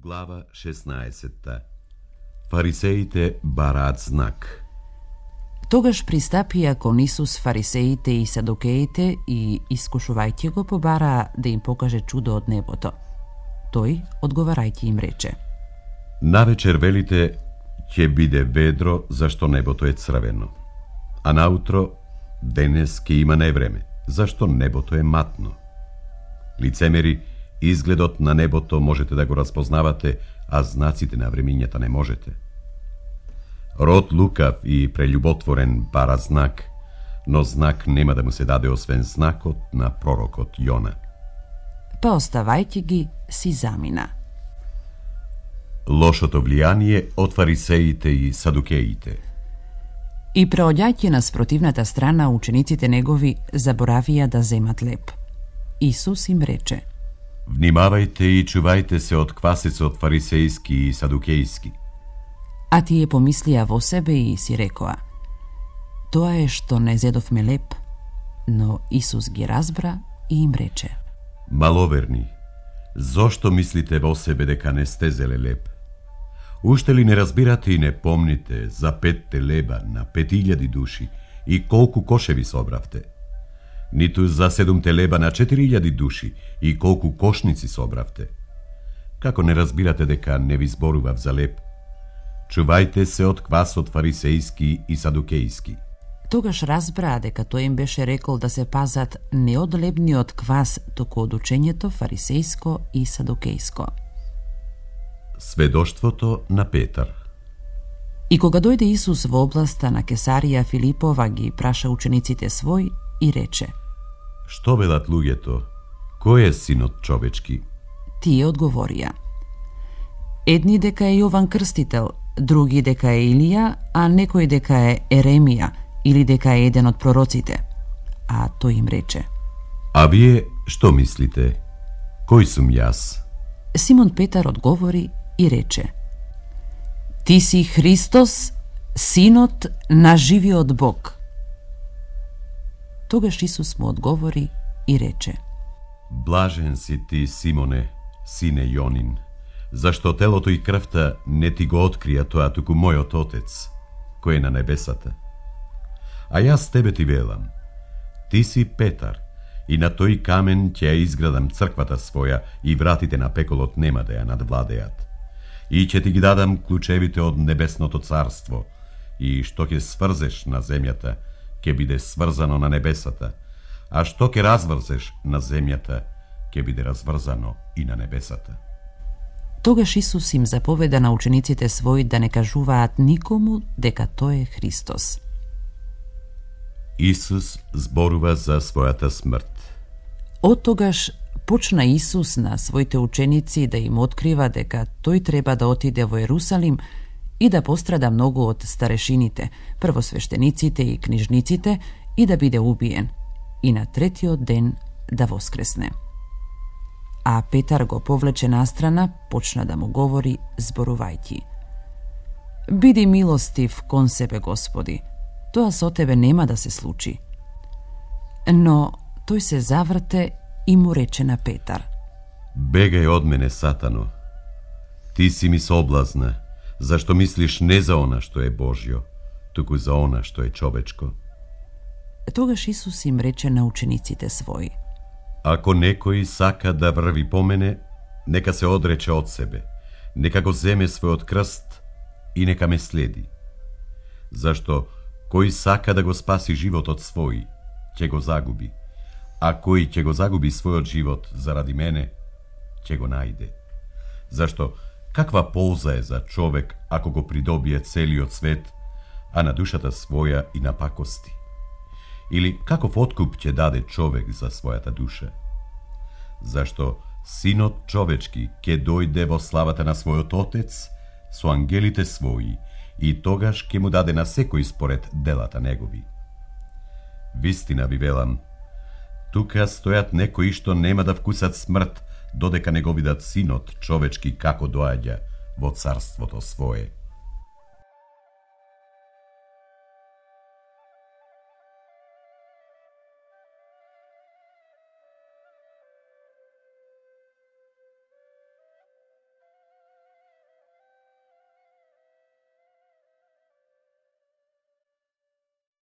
Глава 16. Фарисеите бараат знак. Тогаш пристапија кон Исус фарисеите и садукеите и, искушувајќи го, побараа да им покаже чудо од небото. Тој, одговарајќи им, рече: Навечер велите, ќе биде ведро, зашто небото е црвено. А наутро, денес ќе има невреме, зашто небото е матно. Лицемери, изгледот на небото можете да го разпознавате, а знаците на времињата не можете. Род лукав и прелюботворен бара знак, но знак нема да му се даде освен знакот на пророкот Јона. Па оставајќи ги, си замина. Лошото влијание од фарисеите и садукеите. И преоѓајќи на спротивната страна, учениците негови заборавија да земат леб. Исус им рече: Внимавајте и чувајте се од квасецот фарисејски и садукејски. А тие помислија во себе и си рекоа: Тоа е што не зедовме леб. Но Исус ги разбра и им рече: Маловерни, зошто мислите во себе дека не сте зеле леб? Уште ли не разбирате и не помните за 5 леба на 5000 души и колку кошеви собравте? Ниту за 7 леба на 4000 души и колку кошници собравте? Како не разбирате дека не ви зборував за леб? Чувајте се од квасот фарисејски и садукејски. Тогаш разбраа дека тој им беше рекол да се пазат не од лебниот квас, туку од учењето фарисејско и садукејско. Сведоштвото на Петар. И кога дојде Исус во областа на Кесарија Филипова, ги праша учениците свој и рече: Што велат луѓето? Кој е синот човечки? Тие одговорија: Едни дека е Јован Крстител, други дека е Илија, а некој дека е Еремија или дека е еден од пророците. А тој им рече: А вие што мислите? Кој сум јас? Симон Петар одговори и рече: Ти си Христос, синот на живиот Бог. Тогаш Исус му одговори и рече: Блажен си ти, Симоне, сине Јонин, зашто телото и крвта не ти го открија тоа, туку мојот Отец, кој е на небесата. А јас тебе ти велам: Ти си Петар, и на тој камен ќе ја изградам црквата своја, и вратите на пеколот нема да ја надвладеат. И ќе ти ги дадам клучевите од небесното царство, и што ќе сврзеш на земјата, ќе биде сврзано на небесата, а што ќе разврзеш на земјата, ќе биде разврзано и на небесата. Тогаш Исус им заповеда на учениците своји да не кажуваат никому дека тој е Христос. Исус зборува за својата смрт. Од тогаш почна Исус на своите ученици да им открива дека тој треба да отиде во Ерусалим и да пострада многу од старешините, првосвештениците и книжниците, и да биде убиен, и на третиот ден да воскресне. А Петар го повлече настрана, почна да му говори, зборувајќи: Биди милостив кон себе, Господи, тоа со тебе нема да се случи. Но тој се заврте и му рече на Петар: Бегај од мене, Сатано. Ти си ми соблазна, зашто мислиш не за она што е Божјо, туку за она што е човечко. Тогаш Исус им рече на учениците своји: Ако некој сака да врви по мене, нека се одрече од себе, нека го земе својот крст и нека ме следи. Зашто кој сака да го спаси животот свој, ќе го загуби, а кој ќе го загуби својот живот заради мене, ќе го најде. Зашто каква полза е за човек ако го придобие целиот свет, а на душата своја и на пакости? Или каков откуп ќе даде човек за својата душа? Зашто синот човечки ќе дојде во славата на својот Отец со ангелите своји, и тогаш ќе му даде на секој според делата негови. Вистина ви велам, тука стојат некои што нема да вкусат смрт, додека не го видат синот човечки како доаѓа во царството свое.